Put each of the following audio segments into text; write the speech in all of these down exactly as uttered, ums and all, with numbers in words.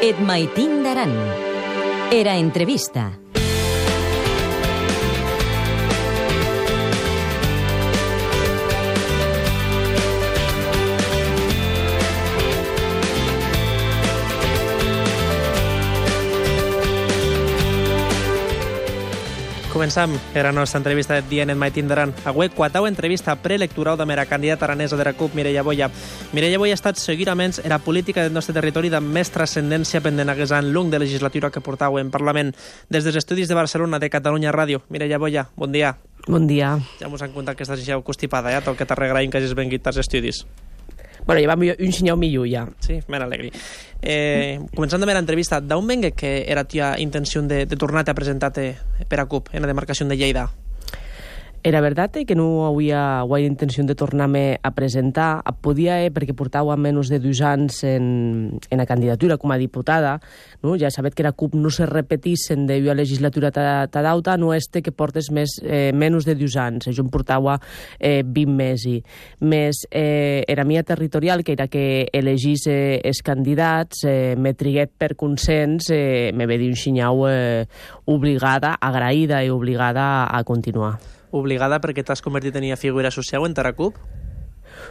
Et maitin d'Aran. Era entrevista. Començam era la nostra entrevista de dia en el Maitin d'Aran. Avui, quatau entrevista preelectoral de la candidata aranesa de la CUP, Mireia Boya. Mireia Boya ha estat seguidament en la política del nostre territori de més transcendència pendent hagués en l'ung de legislatura que portau en Parlament. Des dels estudis de Barcelona, de Catalunya Ràdio. Mireia Boya, bon dia. Bon dia. Ja mos han contat que estàs ja constipada, ja, tot que t'arregraïm que hagis vengut als estudis. Bueno, ja va un xinyau millor, ja. Sí, me n'alegri. Eh, començant amb l'entrevista, d'on vengue que era tia intenció de, de tornar-te a presentar-te per a CUP en la demarcació de Lleida? Era veritat que no havia, havia intenció de tornar-me a presentar. Podia, eh, perquè portava menys de dos anys en, en la candidatura com a diputada. No? Ja sabet que la CUP no se repetís en de la legislatura ta dauta, no este que portes més, eh, menys de dos anys. Jo em portava eh, vint mesos. Més eh, era mia territorial, que era que elegís eh, els candidats, eh, me triguet per consens, eh, me ve dir un xinyau eh, obligada, agraïda i obligada a continuar. Obligada perquè t'has convertit en una figura social en la CUP?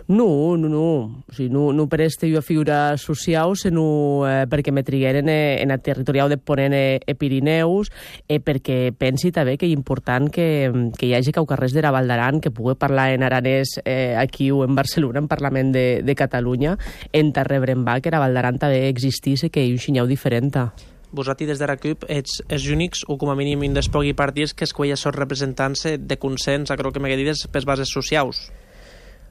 No, no, no. O sigui, no, no per este jo figura social, sinó eh, perquè me trigueren eh, en el territorial de Ponent eh, e Pirineus, eh, perquè pensi també que és important que, que hi hagi caucarrers de la Val d'Aran que pugui parlar en aranès eh, aquí o en Barcelona, en Parlament de, de Catalunya, en Tarrebrembà, que la Val d'Aran també existís i que hi ha un xinyau diferent. Vosaltres des de la CUP ets els únics, o com a mínim indespogui partits, que escolleix els representants de consens, crec que m'he dit, per bases socials.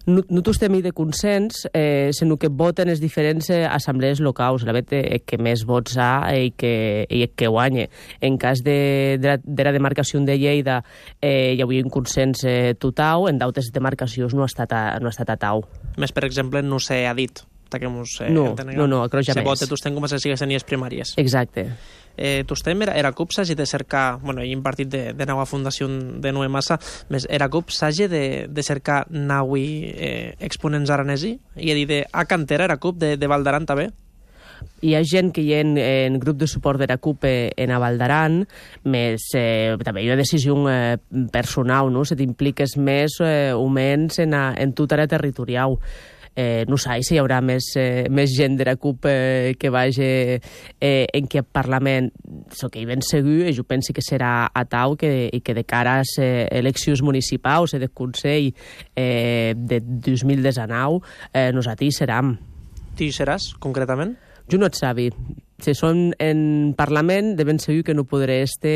No, no tots tenim de consens, eh, sinó que voten les diferents eh, assemblees locals, la vet eh, que més vots ha i que, i que guanya. En cas de, de, la, de la demarcació de Lleida eh, hi havia un consens eh, total, en d'altres demarcacions no ha estat a, no ha estat a tau. Més, per exemple, no s'ha dit. Que mos, eh, no, no, no, crec ja més. Se vota, tu estem com a les sigues primàries. Exacte. Eh, tu estem, era, era CUP s'hagi de cercar, bueno, hi ha un partit de, de nova fundació de nova massa, més era CUP s'hagi de, de cercar naui eh, exponents aranesi, i he dit de a cantera era CUP de, de Val d'Aran també? Hi ha gent que hi ha en, en grup de suport de la CUP en a Val d'Aran, més eh, també hi ha una decisió eh, personal, no? Se t'impliques més eh, o menys en, a, en tota la territorial. Eh, no sé si hi haurà més, eh, més gent de la CUP eh, que vagi eh, en aquest Parlament. So que hi ben segur, jo penso que serà a tau que, i que de cara a les eh, eleccions municipals i de Consell eh, de dos mil dinou eh, nosaltres serem. Tu hi seràs, concretament? Jo no et sabi. Si són en Parlament, de ben segur que no podré estar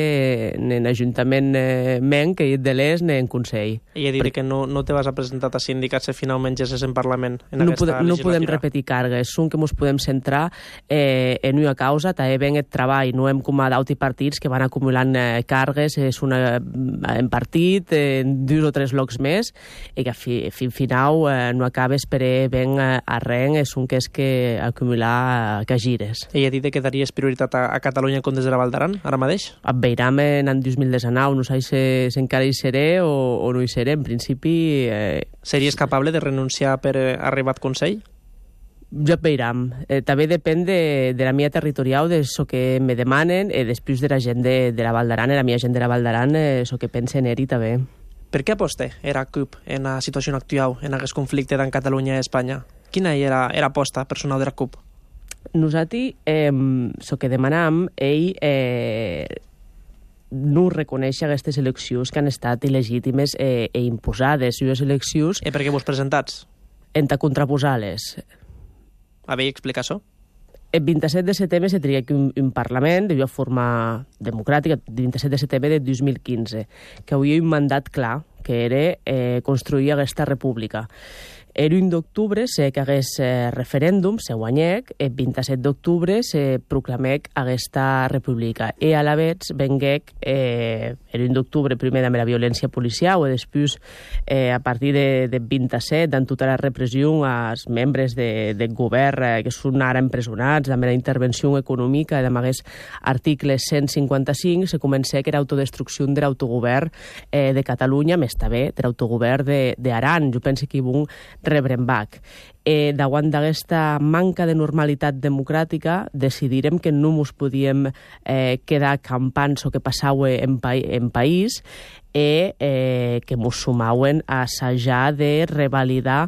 en Ajuntament eh, menc, que de l'est, ni en Consell. I he dit Perquè... que no, no te vas a presentar a sindicats si finalment ja és en Parlament en no aquesta podem, legislatura. No podem repetir càrregues, són que ens podem centrar eh, en una causa, també ben el treball, no hem com a d'altres partits que van acumulant eh, càrregues, és una, en partit, en dos o tres locs més, i que fi, fin final eh, no acabes per ben eh, arreng, és un que és que acumular eh, que gires. I he dit que daries prioritat a, a Catalunya com des de la Val d'Aran, ara mateix? Et veurem en el dos mil dinou, no sé si, si encara hi seré o, o no hi seré, en principi... Eh... Series capable de renunciar per eh, arribar al Consell? Ja et veurem. Eh, també depèn de, de la mia territorial, de això que me demanen, i eh, després de la gent de, de la Val d'Aran, la mia gent de la Val d'Aran, eh, això que pensen eri també. Per què aposta era CUP en la situació actual, en aquest conflicte d'en Catalunya i Espanya? Quina era l'aposta personal de la CUP? Nosaltres, eh, el que demanam, ell eh, no reconeix aquestes eleccions que han estat il·legítimes eh, i imposades. Les eleccions... I per què vos presentats? En ta contraposar-les. A veure, explica això. El vint-i-set de setembre se tria un, un Parlament de forma democràtica, el vint-i-set de setembre de dos mil quinze, que havia un mandat clar, que era eh, construir aquesta república. El un d'octubre se cagués eh, referèndum, se guanyec, el vint-i-set d'octubre se proclamec aquesta república. I a la vegada venguec eh, el un d'octubre primer amb la violència policial i després eh, a partir de, de vint-i-set amb tota la repressió als membres de, del govern eh, que són ara empresonats, amb la intervenció econòmica, amb aquests articles cent cinquanta-cinc, se comença que era autodestrucció de l'autogovern eh, de Catalunya, més també de l'autogovern d'Aran. Jo penso que hi ha Rebrenbach. Eh, davant d'aquesta manca de normalitat democràtica, decidirem que no ens podíem eh, quedar campants o que passava en, pa en país i eh, que ens sumaven a assajar de revalidar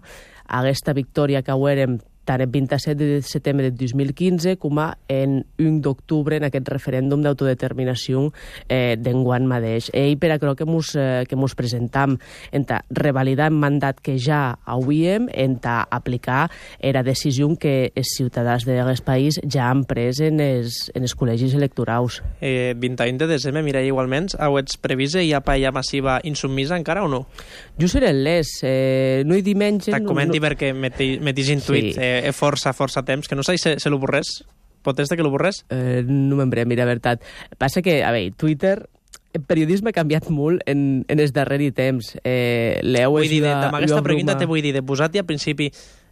aquesta victòria que haurem tant el vint-i-set de setembre de dos mil quinze com en un d'octubre en aquest referèndum d'autodeterminació eh, d'enguany mateix. I per això que mos, eh, que mos presentam en revalidar el mandat que ja hauríem, en aplicar la decisió que els ciutadans d'aquest país ja han pres en els, en els col·legis electorals. Eh, vint i u de desembre, Mireia, igualment, heu previst hi ha paella massiva insubmisa encara o no? Jo seré les, eh, no hi dimension... T'ha comenti no, perquè m'he intuït sí. eh, força, força temps, que no sé si se, se l'oborrés. Pot ser que l'oborrés? Eh, no m'embrem, mira, veritat. Passa que, a veure, Twitter... El periodisme ha canviat molt en, en els darrers temps. Eh, L'heu vull dir, amb aquesta pregunta te vull dir, de posar-hi al principi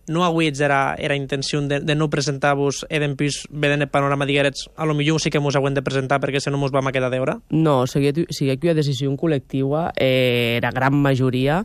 no avui era, era intenció de, de no presentar-vos e d'empís vedent el panorama diguerets, a lo millor sí que mos hauen de presentar perquè si no mos vam a quedar d'hora? No, sigui que una decisió col·lectiva, eh, la gran majoria,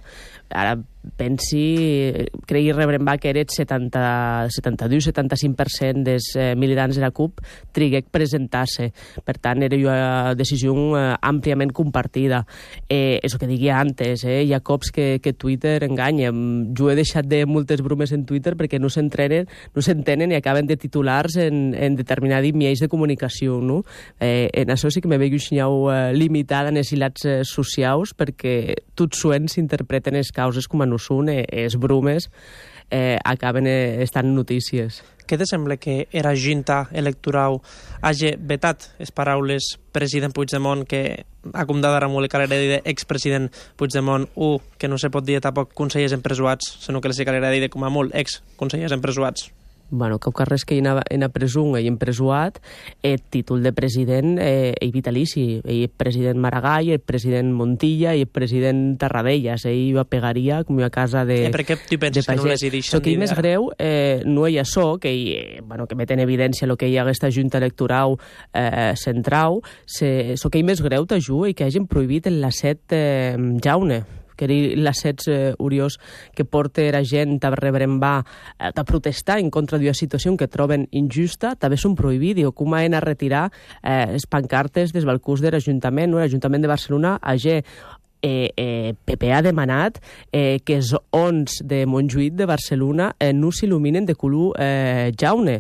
ara pensi, cregui Rebrenbach que era el setanta, setanta-dos setanta-cinc per cent dels eh, militants de la CUP triguec presentar-se. Per tant, era una decisió eh, àmpliament compartida. Eh, això que digui antes, eh, hi ha cops que, que Twitter enganya. Jo he deixat de moltes bromes en Twitter perquè no s'entrenen, no s'entenen i acaben de titulars en, en determinats mitjans de comunicació, no? Eh, en això sí que me veig eh, limitada en els hilats eh, socials perquè tots suent s'interpreten les causes com a no són, eh, els bromes eh, acaben eh, estant notícies. Què te sembla que era junta electoral hagi vetat les paraules president Puigdemont que ha condemnat molt el calera de expresident Puigdemont u, que no se pot dir tampoc consellers empresonats, sinó que les calera de com a molt ex-consellers empresonats? Bueno, que carrers que hi ha en presó i empresuat, el títol de president eh, és vitalici. El president Maragall, el president Montilla i el president Tarradellas. Ell va pegaria com a casa de... Eh, per què tu penses que no les hi deixen? El que és més greu eh, no hi ha això, que, hi, bueno, que met en evidència el que hi ha aquesta junta electoral eh, central. El que és més greu, t'ajuda, i que hagin prohibit el lacet eh, jaune, que era l'assets eh, uriós que porta la gent a Rebrenbach eh, a protestar en contra d'una situació que troben injusta, també són prohibits. Diu, com han a retirar eh, les pancartes dels balcons de l'Ajuntament, no? L'Ajuntament de Barcelona hagi Eh, eh, P P ha demanat eh, que els ons de Montjuïc de Barcelona eh, no s'il·luminen de color eh, jaune.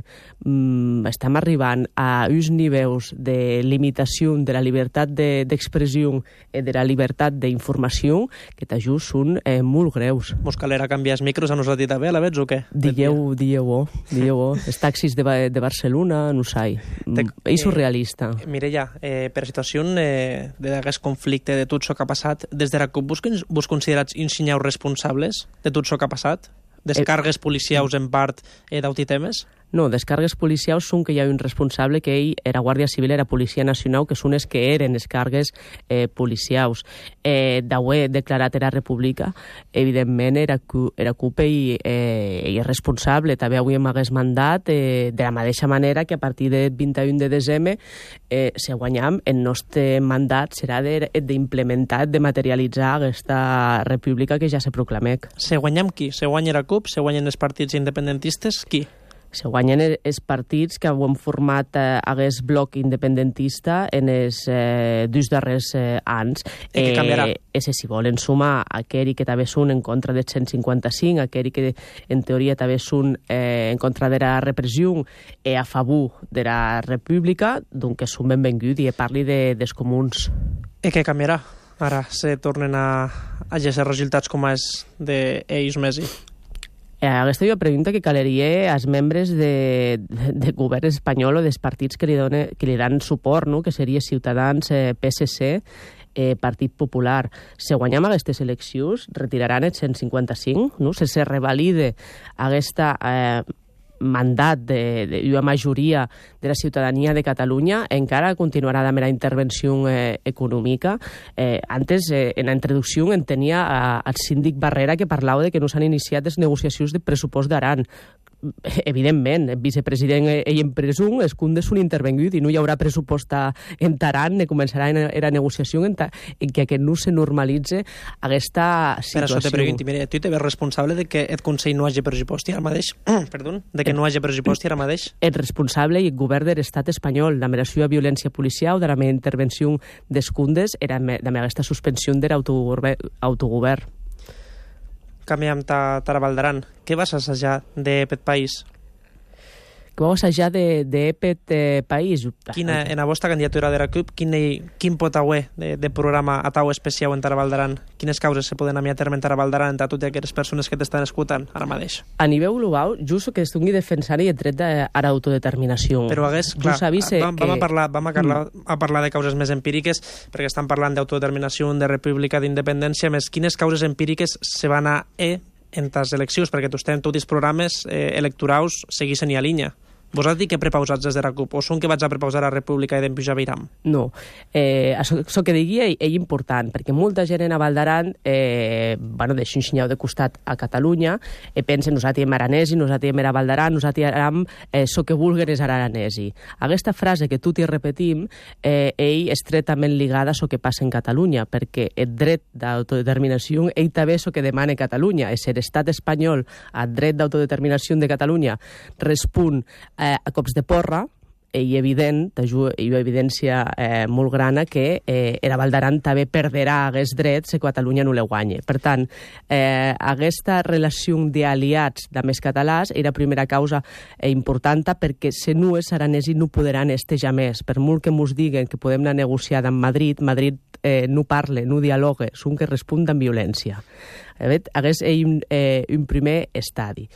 Mm, estem arribant a uns nivells de limitació de la llibertat d'expressió i de, de la llibertat d'informació que t'ajust són eh, molt greus. Mos calera canviar els micros a nosaltres també, a la vets o què? Digueu, digueu-ho, digueu-ho. Els taxis de, de Barcelona, no sé. Mm, és surrealista. Eh, Mireia, eh, per la situació eh, d'aquest conflicte, de tot això que ha passat, des de la CUP vos, vos considerats insinyeu responsables de tot això que ha passat? Descargues policials en part eh, d'autitemes? No, descargues policials són que hi ha un responsable que ell era Guàrdia Civil, era Policia Nacional, que són els que eren les cargues eh, policials. Eh, D'haver declarat era república, evidentment era, era CUP i, eh, i és responsable. També avui m'hagués mandat eh, de la mateixa manera que a partir del vint i u de desembre, eh, si guanyam, el nostre mandat serà d'implementar, de, de materialitzar aquesta república que ja se proclamec. Se guanyam qui? Se guanya la CUP? Se guanyen els partits independentistes? Qui? Se guanyen els partits que han format eh, aquest bloc independentista en els eh, dos darrers eh, anys. I què canviarà? Eh, si volen sumar aquells que també són en contra del cent cinquanta-cinc, aquells que en teoria també són eh, en contra de la repressió i a favor de la república, doncs que són benvinguts i parli de, dels comuns. I què canviarà? Ara se tornen a, a gesar resultats com és d'ells Messi. Aquesta és una pregunta que caleria als membres de, de, de govern espanyol o dels partits que li, done, que li dan suport, no? Que seria Ciutadans, eh, P S C, eh, Partit Popular. Si guanyem aquestes eleccions, retiraran el cent cinquanta-cinc, no? Si se revalide aquesta eh, mandat d'una majoria de la ciutadania de Catalunya, encara continuarà la mera intervenció eh, econòmica. Eh, antes, eh, en la introducció, en tenia eh, el síndic Barrera que parlava de que no s'han iniciat les negociacions de pressupost d'Aran. evidentment, el vicepresident ell en presum, els cundes són intervengut i no hi haurà pressupost en Taran, ne començarà la negociació en, ta, en que aquest no se normalitze aquesta situació. Per això te pregunto, mira, tu te ves responsable de que el Consell no hagi pressupost ara mateix? Perdó, de que no hagi pressupost ara mateix? El responsable i el govern de l'estat espanyol, la meració a violència policial, de la meva intervenció dels cundes, era la meva aquesta suspensió de l'autogovern. Canviem Tarabaldaran. Què vas assajar d'aquest país? Què vas assajar d'aquest país? Quina, en la vostra candidatura de la CUP, quin, quin pot haver de, de programa a tau especial en Tarabaldaran? Quines causes se poden a terme en Tarabaldaran entre totes aquelles persones que t'estan escoltant ara mateix? A nivell global, just que estigui defensant el dret a l'autodeterminació. Però hagués, clar, vam, vam, a parlar, vam a, parlar, a parlar de causes més empíriques, perquè estan parlant d'autodeterminació, de república, d'independència, més quines causes empíriques se van a e en les eleccions, perquè tu estem tots els programes eh, electorals seguissin i a línia. Vos has dit que prepausats des de la CUP, o són que vaig a prepausar a la República i d'empujar Viram? No. Eh, això, això que digui és important, perquè molta gent en Avaldaran eh, bueno, deixa un xinyau de costat a Catalunya i pensa nosaltres hem aranesi, nosaltres hem Avaldaran, nosaltres hem eh, so que vulguen és aranesi. Aquesta frase que tu t'hi repetim, eh, ell estretament ligada a això que passa en Catalunya, perquè el dret d'autodeterminació, ell també és el que demana Catalunya, és l'estat espanyol al dret d'autodeterminació de Catalunya respon a cops de porra, i evident, i evidència eh, molt grana que eh, era Valdaran també perderà aquests drets si Catalunya no le guanya. Per tant, eh, aquesta relació d'aliats de més catalans era la primera causa eh, important perquè si no és aranesi no podran estejar més. Per molt que ens diguen que podem anar a negociar amb Madrid, Madrid eh, no parla, no dialoga, són que respon amb violència. Hagués un, eh, un primer estadi.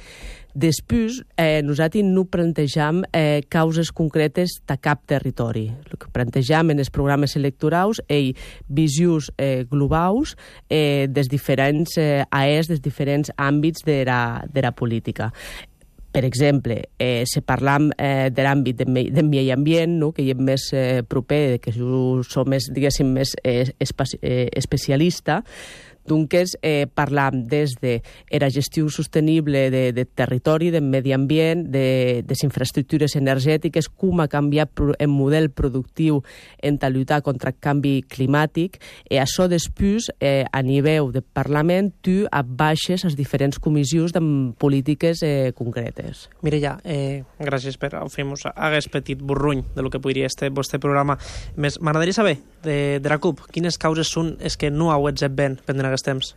Després, eh, nosaltres no plantejam eh, causes concretes de cap territori. El que plantejam en els programes electorals és visions eh, globals eh, dels diferents eh, A E S, dels diferents àmbits de la, de la política. Per exemple, eh, si parlam eh, de l'àmbit del medi ambient, no? Que hi ha més eh, proper, que jo som més, diguéssim, més eh, espe eh, especialista, doncs eh, parlam des de la gestió sostenible de, de territori, del medi ambient, de les infraestructures energètiques, com ha canviat el model productiu en lluitar contra el canvi climàtic, i això després, eh, a nivell de Parlament, tu abaixes les diferents comissions de polítiques eh, concretes. Mireia, eh, gràcies per fer-nos aquest petit burruny de lo que podria ser el vostre programa. M'agradaria saber, de, de la CUP, quines causes són les que no heu fet ben pendent aquest temps?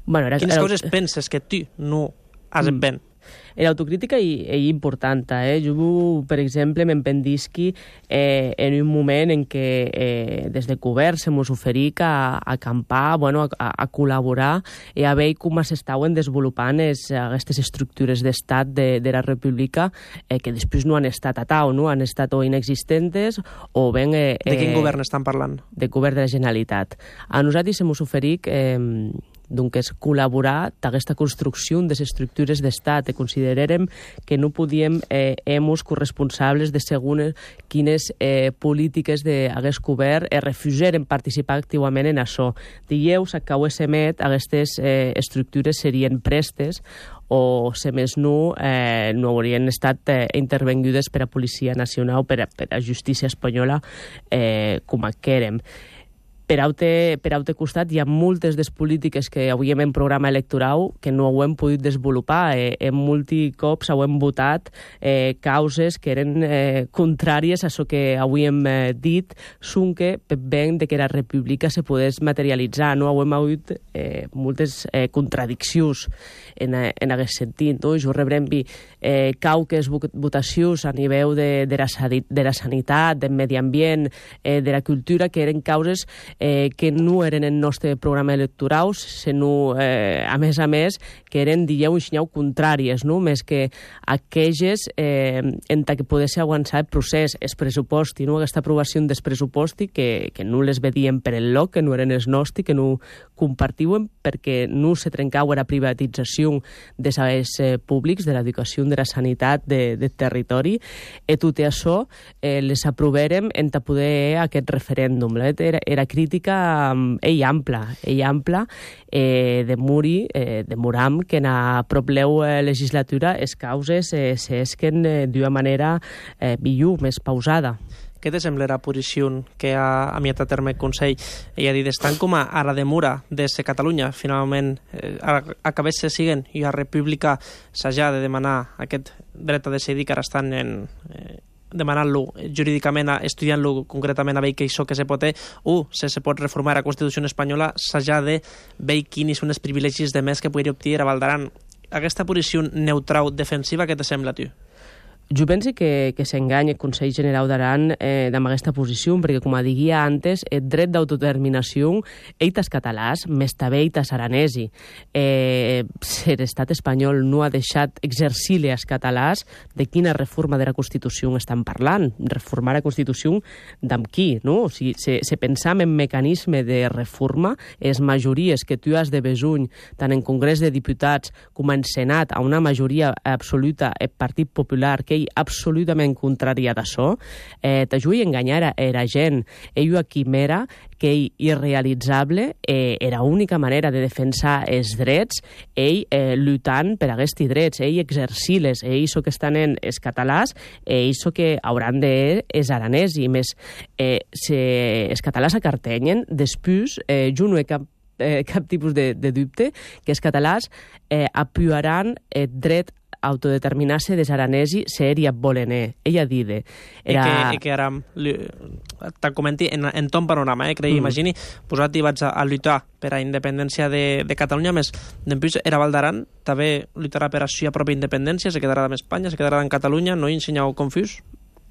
Bueno, era, quines era... causes penses que tu no has fet ben? L'autocrítica és important. Eh? Jo, per exemple, m'empendisqui eh, en un moment en què eh, des de govern se mos oferís a, a acampar, bueno, a, a col·laborar i a veure com s'estaven desenvolupant es, aquestes estructures d'estat de, de la República eh, que després no han estat a tau, no? Han estat o inexistentes o ben... Eh, de quin eh, govern estan parlant? De govern de la Generalitat. A nosaltres se mos oferís... Eh, doncs és col·laborar d'aquesta construcció de les estructures d'estat. Considerarem que no podíem eh, emos corresponsables de segons quines eh, polítiques d'hagués govern eh, refusaren participar activament en això. Dieu, s'acabés emet, aquestes eh, estructures serien prestes o, si més no, eh, no haurien estat eh, intervengudes per a Policia Nacional o per a, per a Justícia Espanyola eh, com a quèrem. Per altre, per altre costat, hi ha moltes des polítiques que avui hem en programa electoral que no ho hem pogut desenvolupar. Eh, en multicops ho hem votat eh, causes que eren eh, contràries a això que avui hem eh, dit, són que ben de que la república se pogués materialitzar. No? Ho hem hagut eh, moltes eh, contradiccions en, en aquest sentit. No? Jo rebrem eh, cauques votacions a nivell de, de, la, de la sanitat, del medi ambient, eh, de la cultura, que eren causes Eh, que no eren en el nostre programa electoral, sinó, eh, a més a més, que eren, dieu, un xinyau contràries, no? Més que aquelles eh, en què pogués avançar el procés, el pressuposti, no? Aquesta aprovació dels pressuposti que, que no les vedíem per el loc, que no eren els nostres, que no compartíem perquè no se trencava la privatització de serveis eh, públics, de l'educació, de la sanitat, de, de territori, i tot això eh, les aprovèrem en poder aquest referèndum. Era, era crític política ei ampla, ei ampla, eh, de muri, eh, de muram, que na propleu eh, legislatura es causes eh, s'esquen eh, d'una manera eh, millor, més pausada. Què te sembla la posició que ha amiat a terme el Consell? Ella ha dit, estan com a, a la demora de ser Catalunya, finalment eh, acabés se siguen i a República s'ha de demanar aquest dret a decidir que ara estan en, eh, demanant-lo jurídicament, estudiant-lo concretament a veure què això que se pot, o si se pot reformar la Constitució espanyola, s'ha de veure quins són els privilegis de més que podria obtenir a Valdaran. Aquesta posició neutral defensiva, què te sembla, tu? Jo penso que, que s'enganya el Consell Generau d'Aran eh, amb aquesta posició, perquè, com diguia antes, el dret d'autodeterminació eitas catalàs, més també eitas aranesi. Eh, si l'estat espanyol no ha deixat exercir als catalàs, de quina reforma de la Constitució estan parlant? Reformar la Constitució d'amb qui? No? O sigui, si, si pensam en mecanisme de reforma, les majories que tu has de besuny, tant en Congrés de Diputats com en Senat, a una majoria absoluta el Partit Popular, que absolutament contrària d'això, eh, t'ajudi a enganyar a la gent. Ell a quimera, que ell irrealitzable, eh, era l'única manera de defensar els drets, ell eh, lluitant per aquests drets, ell exercir-les, ell so que estan en els catalans, ell so que hauran de els aranès, i més, eh, si els catalans acartenyen, després, eh, jo no he cap Eh, cap tipus de, de dubte, que els catalans eh, apujaran el dret a autodeterminar-se des aranesi ser i volener. Ella dide. Era... I que, i que ara te'n comenti en, en ton panorama, eh? Crec, mm. imagini, posat i vaig a, a lluitar per a independència de, de Catalunya, més després era Valdaran, també lluitarà per a la pròpia independència, se quedarà amb Espanya, se quedarà en Catalunya, no hi ensenyau confús?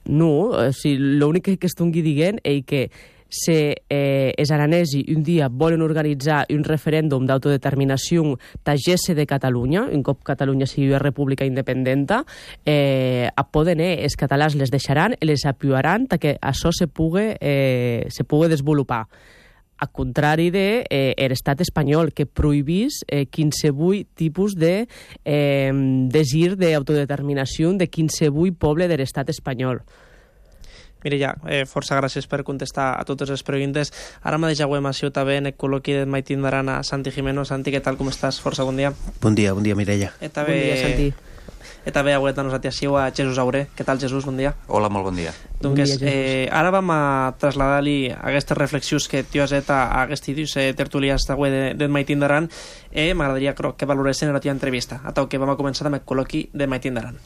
No, o sigui, l'únic que estongui dient és que si eh, els aranesi un dia volen organitzar un referèndum d'autodeterminació tagesse de Catalunya, un cop Catalunya sigui una república independenta, eh, a poden, eh, els catalans les deixaran i les apujaran perquè això se pugui, eh, se pugui desenvolupar. Al contrari de eh, l'estat espanyol, que prohibís eh, quinsevui tipus de eh, desir d'autodeterminació de quinsevui poble de l'estat espanyol. Mireia, eh, força gràcies per contestar a totes les preguntes. Ara mateix avui sigut també en el col·loqui de Maitindaran a Santi Jimeno. Santi, què tal, com estàs? Força bon dia. Bon dia, bon dia, Mireia. E també, bon dia, Santi. E també avui a nosaltres a Jesús Auré. Què tal, Jesús? Bon dia. Hola, molt bon dia. Donc, bon dia, eh, ara vam a traslladar-li aquestes reflexions que tu has fet a, a aquests dies eh, tertulians d'avui de, de Maitindaran, i eh, m'agradaria que valoressin la teva entrevista. A tal que vam a començar amb el col·loqui de Maitindaran.